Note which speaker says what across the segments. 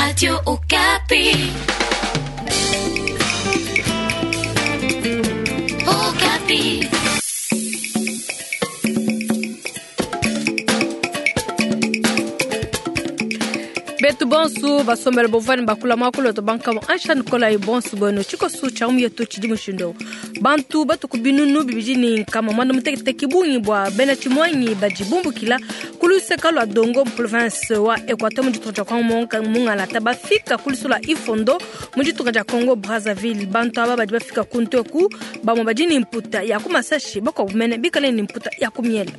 Speaker 1: Radio Okapi. Okapi.
Speaker 2: Betu bonsu basombela bovani bakula mwakulu to bankamo ansha nikolayi bonsu bueno tshikosu tshia mu yetu tshidi mushindo bantu batuku binunu bibidi ni nkama mwanda muteketeke bungi bua bena tshimuangi badi bumbukila ku luseka lua dongo mu province wa Equateur mu ditunga dia Congo mungalata bafika ku lusu lua Ifondo mu ditunga dia Congo Brazzaville. Bantu aba badi bafika ku nteku bamue badi ni mputa ya ku masashi, bakuabu mene bikale ni mputa ya ku miela.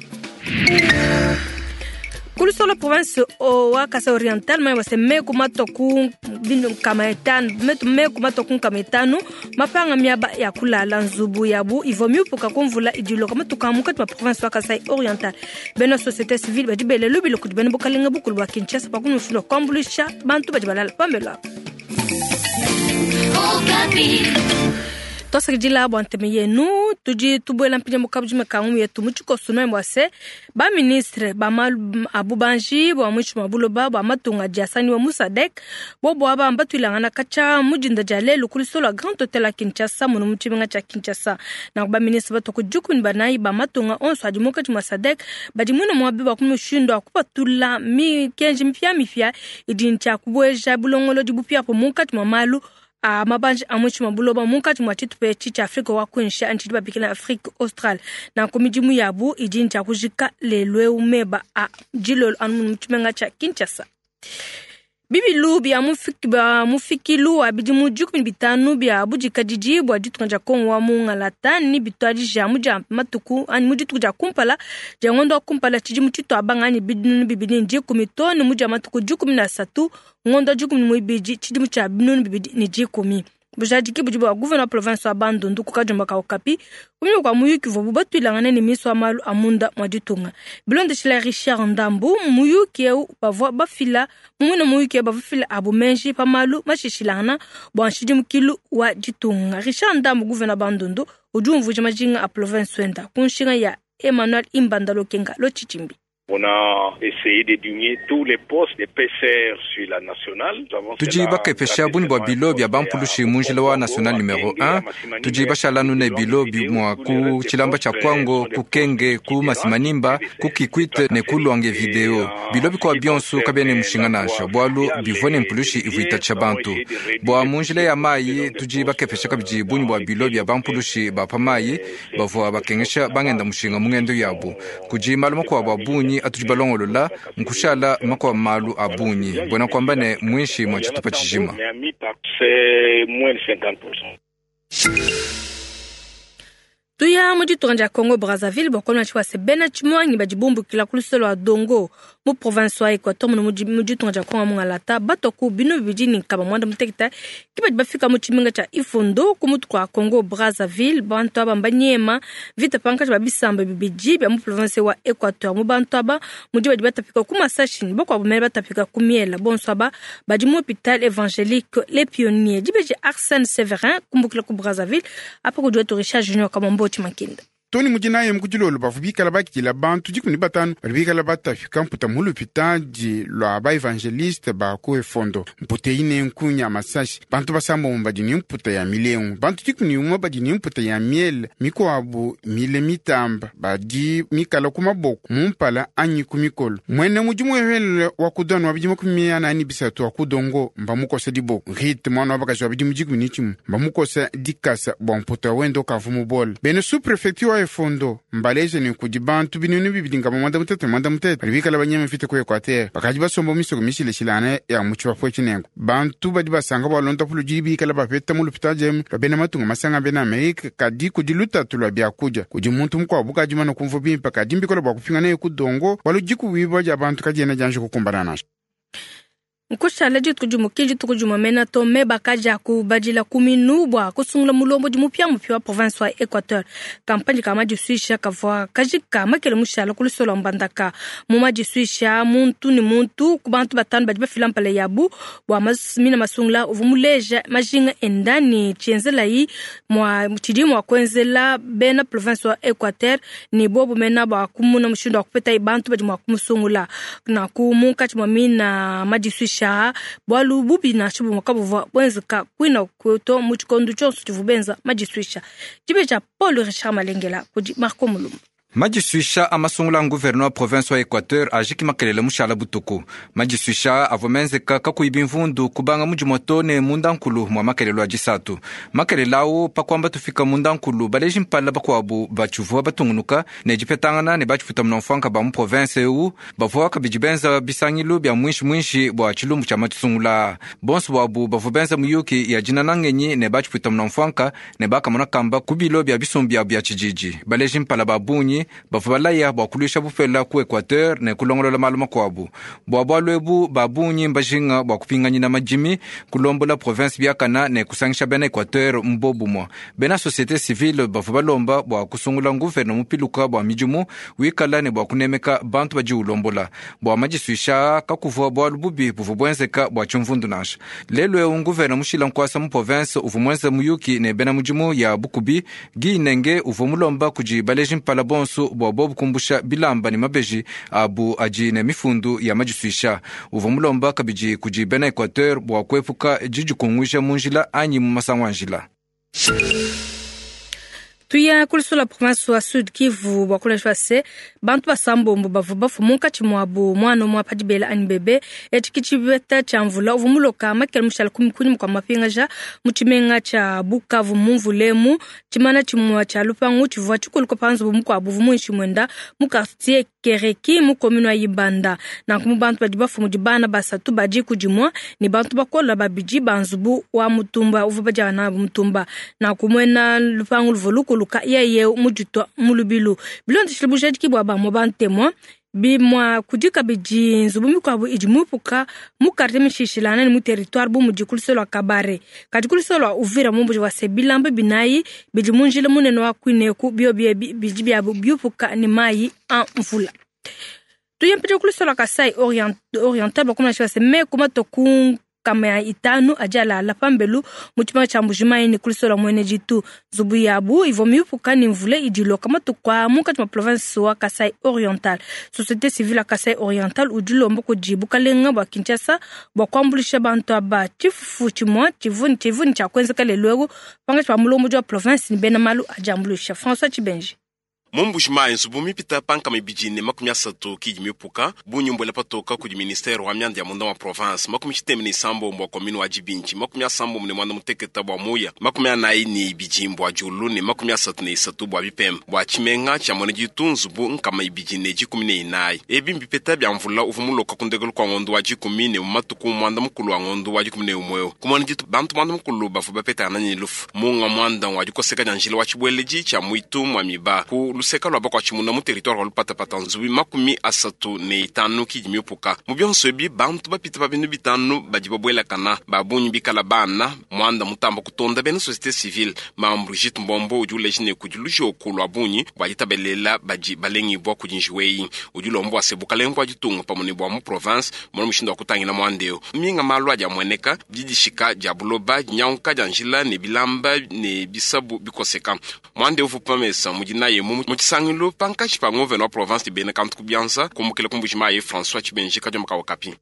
Speaker 2: Kulusolo province wa Kasai Oriental mai wase meku matoku nkama etanu meku matoku nkama etanu mapanga miaba ya kulala nzubu yabu ivo miupuka kumvula idiloka matuka mukati ma province wa Kasai Oriental. Bena société civile badi bele lubilo kudi bena bukalenga bukulu bua Kinshasa pakunushilo kwambuluisha bantu badi balala pambelo apo.
Speaker 1: Okapi.
Speaker 2: Twasakidila bua nteme yenu tudi tubuela mpindia mukabu mekangu yetu mu tshikoso noe bua se ba ministre ba malu a bubanji bua muinshi mua buloba bua matunga dia sangiwa mu SADC bobo aba mbatuilangana katshia mudinda dia lelu ku lusolo lua Grand Hotel ya Kinshasa muno mu tshimenga tshia Kinshasa. Nanku ba ministre batoku dikumi ne banayi ba matunga onso adi munkatshi mua SADC badi muine muabi bua kumushindu wa kupatula mikenji mipiamipia idi ntshia kubueja bulongolodi bupiapo munkatshi mua malu a mabanji a muinshi mua buloba munkatshi mua tshitupa etshi tshia Afrika wa kuinshi anyi tshidi babikila Afrique Australe. Nanku midimu yabu idi ntshia kujika lelu eu meba a dilolo anu mu tshimenga tshia Kinshasa. Bibilu bia mufikilu wa bidimu 15 bia budikadidi bua ditunga dia Kongo wa mungalata ni bituadija mu dia matuku anyi mu dituku dia kumpala dia ngondo wa kumpala tshidimu tshituabanga anyi binunu 2010 to ne mu dia matuku 13 ngondo 12 tshidimu tshia binunu 2010. Bujadiki budi bua gouverneur wa province wa Bandundu ku Kadiomba ka Okapi kunyima kua muyuki uvua batuilangane ne ministre wa malu a munda mua ditunga. Bilondeshile Richard Ndambu muyuki eu bavua bafila mumune muyuki eu bavua bafila abu menji pa malu mashishilangana bua nshidimukilu wa ditunga. Richard Ndambu gouverneur Bandundu udi umvuija majinga a province wenda ku nshinga ya Emmanuel Imbanda Lokenga Lochichimbi.
Speaker 3: On a essayé de diminuer tous les postes de PCR sur la nationale.
Speaker 4: Tudi bakepesha bungi bua bilo bia bampulushi mu njila wa national numero 1. Tudi bashala nune bilo bimua ku tshilamba tshia Kwango, ku Kenge, ku Masimanimba, ku Kikwit ne ku Luange video. Bilo bikua bionso kabiena ne mushinga nansha, bualu bivua ne mpulushi ivua itatshisha bantu. Bua mu njila ya mayi, tudi bakepesha kabidi bungi bua bilo bia bampulushi ba pa mayi bavua bakengesha bangenda mushinga mu ngendo yabu. Kudi malu makuabu a bungi atudi balongolola nkushala makwa malu a bungi mbona kwamba ne mwinshi mwa tshitupa tshijima.
Speaker 2: Tuya mu ditunga dia Congo Brazzaville bua tshia se bena tshimuangi badi bumbukila ku lusolo lua Dongo mu province wa Equateur mu ditunga dia Congo mungalata batoku binu bibidi ni nkama mwanda muteketa ki badi bafika mu tshimenga tshia Ifondo ku mutu kua Congo Brazzaville. Bantu aba mbanyema vita pankatshi ba bisamba bibidi bia mu province wa Equateur. Mu bantu aba mudi badi batapika ku masashi bakuabu mene batapika ku miela. Bonso aba badi mu hôpital évangélique Les Pionniers. Dibeji Arsène Severin kumbukila ku Brazzaville apa kudi wetu Richard Junior Kamombo Makinda.
Speaker 5: Tony mujinaye mukudilolo bavu bikala bakila bantu 15 bali bikala batafika mputa mu lupitadi lwa ba evangeliste ba ku Efondo. Mputa ine nkunya masashi bantu basambombo badi ni mputa ya milengu, bantu 11 badi ni mputa ya miele, mikuabu mile mitamba badi mikala ku maboko mumpala anyi ku mikolo. Mwene mudimu ehele wa kudona wa bidimu 43 wa kudongo mba mukosa diboko rite mwana wa bakaji wa bidimu 11 mba mukosa dikasa bua mputa wendo kavu mubola. Bene sous-prefecture wa Efondo mbaleje ni kudi bantu binunu bibidi ngaba mwanda mutete badi bikala banyama mfite ku Equateur bakadi basomba misoko mishileshilana ya mu tshibafo tshinengo. Bantu badi basanga balonda puludi bikala bapeta mu lupitadi emu lwa matunga masanga bena Amerika kadi kudi lutatu lwa biakudia kudi muntu mukuabu kadi mana kumva bimpe kadi mbikola bua kupingana ye kudongo waludiku wiba dia bantu kadiena dianji kukumbana nansha.
Speaker 2: Nkushala dituku dimuki dituku dimue to me bakaja kubadila kuminu bua kusungula mulombo dimupia mupia wa province wa Equateur. Kampanye ka madisuisha kavua kajika makele mushala ku lusolo lua Mbandaka. Mu madisuisha muntu ni muntu ku bantu batanu badi bafila mpala yabu bua mina masungula uvua muleja majinga endani tshienzelayi mua tshidi mua kuenzela bena province wa Equateur ni bobu mena bua kumuna mushindu wa kupeta bantu badi mua kumusungula. Nanku munkatshi mua mina madisuisha Madisuisha aa bualu bubi nansha bumue kabuvua buenzeka kuina to mu tshikondo tshionso tshivua benza madisuisha. Dibeja Paul Richard Malengela kudi Marco Mulumba.
Speaker 4: Madisuisha a masungula a nguverne wa province wa Equateur ajiki makelele mushala butuku. Madisuisha avua menzeka kakuyi bimvundu kubanga mu dimue too ne mundankulu mua makelelo a disatu. Makelele au pa kuamba tufika mundankulu, baleji mpala bakuabu batshivua batungunuka ne dipetangana ne batshiputa munamfuanka ba mu province eu bavua kabidi benza bisangilu bia muinshi muinshi bua tshilumbu tshia masungula aa. Bonso buabu bavua benza muyuki ya dinana ngenyi ne batshiputa munamfuanka ne bakamona kamba ku bilo bia bisumbu biabu bia tshididi. Baleji mpala ba bungi bavua balaya bua kuluisha bupela ku Equateur ne kulongolola malu makuabu. Bua bualu ebu, ba bungi mbajinga bua kupinganyina madimi, kulombola province biakana ne kusangisha bena Equateur mu bobumue. Bena societe civile bavua balomba bua kusungula nguvene mupiluka bua midimu wikala ne bua kunemeka bantu badi ulombola. Bua madisuisha aa, kakuvua bualu bubi buvua buenzeka bua tshimvundu nansha. Lelu eu nguvene mushila nkuasa mu province uvua muenze muyuki ne bena mudimu ya bukubi. Guy Nenge uvua mulomba kudi baleji mpala bonso bua bobu kumbusha bilamba ne mabeji abu adi ne mifundu ya madisuisha. Uvua mulomba kabidi kudi bena Equateur bua kuepuka didikunguija mu njila anyi mu masangu a njila.
Speaker 2: Tuya kulusula province wa Sud Kivu bua kulesha se bantu basambombo bavua bafua munkatshi muabu mwana umue pa dibela anyi bebe. Etshi ki tshipeta tshia mvula uvua muloka makele mushala kunyima kua mapingaja mu tshimenga tshia Bukavu mu mvulemu. Tshimana tshimue tshia lupangu tshivua tshikuluka pa nzubu mukuabu uvua muinshi muenda mu quartier Kereki mu commune wa Ibanda. Nanku mu bantu badi bafua mudi bana basatu ba diku dimue ne bantu bakola babidi ba nzubu wa mutumba uvua badia nabu mutumba. Nanku muena lupangu luvua lukuluka yeye muditua mu lubilu. Bilondeshile bujadiki bua bamue bantemua bimua kudi kabidi nzubu mikuabu idi miupuka mu quartier mishishilangana ne mu territoire bu mudi ku luseke lua Kabare. Kadi ku luseke lua Uvira mumbuji wa se bilamba binayi bidi mu njila munene wa kuineku biobi ebi bidi biabu biupuka ne mayi a mvula. Tuye mpindieu ku luseke lua Kasai Oriental bakumanyisha se meku matue ku nkama ya itanu adi alala pambelu mu tshimanga tshia Mbujimayi ne ku luseke lua Mwene Ditu. Nzubu yabu ivua miupuka ne mvula idi iloka matuku aa munkatshi mua province wa Kasai Oriental. Societe civile ya Kasai Oriental udi ulomba kudi bukalenga bua Kinshasa bua kuambuluisha bantu aba. Tshifufu tshimue tshivua ne tshia kuenzeka lelu eu pankatshi pa mulombodi wa province ne bena malu adi ambuluisha. François Tshibenji.
Speaker 6: Mu Mbujimayi, nzubu mipita pa nkama ibidi ne makumi asatu ki idi miupuka bungi mbuela patoka kudi ministere wa mianda ya munda wa province, makumi tshitema ne isambombo bua commune wa Dibinji, makumi asambombo ne muanda muteketa bua Muya, makumi anayi ne ibidi bua Diulu ne makumi asatu ne isatu bua Bipemba. Bua tshimenga tshia Muena Ditu, nzubu nkama ibidi ne dikumi ne inayi. Ebi mbipeta bia mvula uvua muloka ku ndekelu kua ngondo wa dikumi ne mu matuku muanda mukulu a ngondo wa dikumi ne umue eu. Ku Muena Ditu, bantu muanda mukulu bavua bapetangana ne lufu. Munga muanda ngua dikoseka dia njila wa tshibueledi tshia muitu mua miba ku luseka lua bakuatshimuna mu territoire wa Lupatapata, nzubu makumi asatu ne itanu ki idi miupuka. Mu bionso ebi, bantu bapite pa binunu bitanu badi babuelakana, ba bungi bikala bana. Muanda mutamba kutonda bena societe civile, Mamu Brigitte Mbombo udi uleja ne kudi lujoku lua bungi bua ditabalela badi balengibua kudi njiwu eyi. Udi ulomba bua se bukalenga bua ditunga pamue ne bua mu province bumone mushindu wa kutangila muanda eu. Minga malu adi amueneka, didishika dia buloba, dinyanguka dia njila ne bilamba ne bisabu bikoseka. Muanda eu uvua pa mesa mu dinayi emu mu tshisangilu pankatshi pa ngovena wa province ne bena kantu ku bianza kumbukila ku Mbuji-Mayi François Tshibenji Kadiomba ka Okapi.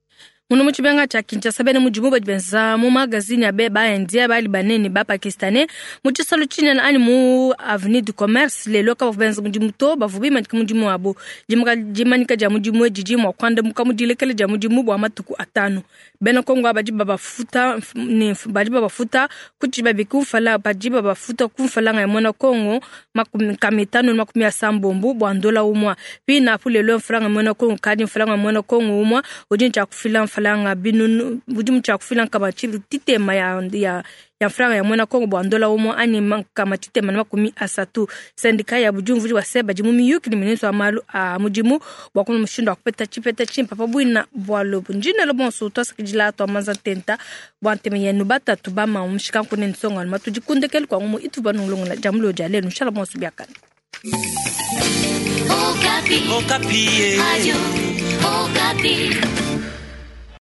Speaker 2: Muno mu tshimenga tshia Kinshasa, bena mudimu badi benza mu magazine ya ba Indien, ba Libanais ne ba Pakistanais mu tshisalu tshinene anyi mu avenue du commerce lelu kabavua benza mudimu to, bavua bimanyika mudimu wabu. Dimanyika dia mudimu edi didi mua kuandamuka mu dilekela dia mudimu bua matuku atanu. Bena Kongo aba badi babafuta ne badi babafuta ku tshibabi ku mfala, badi babafuta ku mfalanga ya muena Kongo makumi nkama itanu ne makumi asambombo bua ndola umua. Pina apu lelu mfalanga muena Kongo kadi mfalanga muena Kongo umua udi ne tshia kufila mfalanga binunu, udi mu tshia kufila nkama tshitema ya mfalanga ya muena Kongo bua ndola umua anyi nkama tshitema ne makumi asatu. Sendika ya budiumvudi wa se badi mu miyuki ne ministre wa malu a mudimu bua kumona mushindu wa kupeta tshipeta tshimpe pa buina bua lobu. Ndinelo bonso twasakidila twa manza ntenta bua ntema yenu batatu ba mamu mushikanku ne nsonga numa tudi kundekelu kwa ngumu itu banulongola dia mulio dia lelu nshala bonso biakane.
Speaker 1: Okapi. Okapi. Radio Okapi.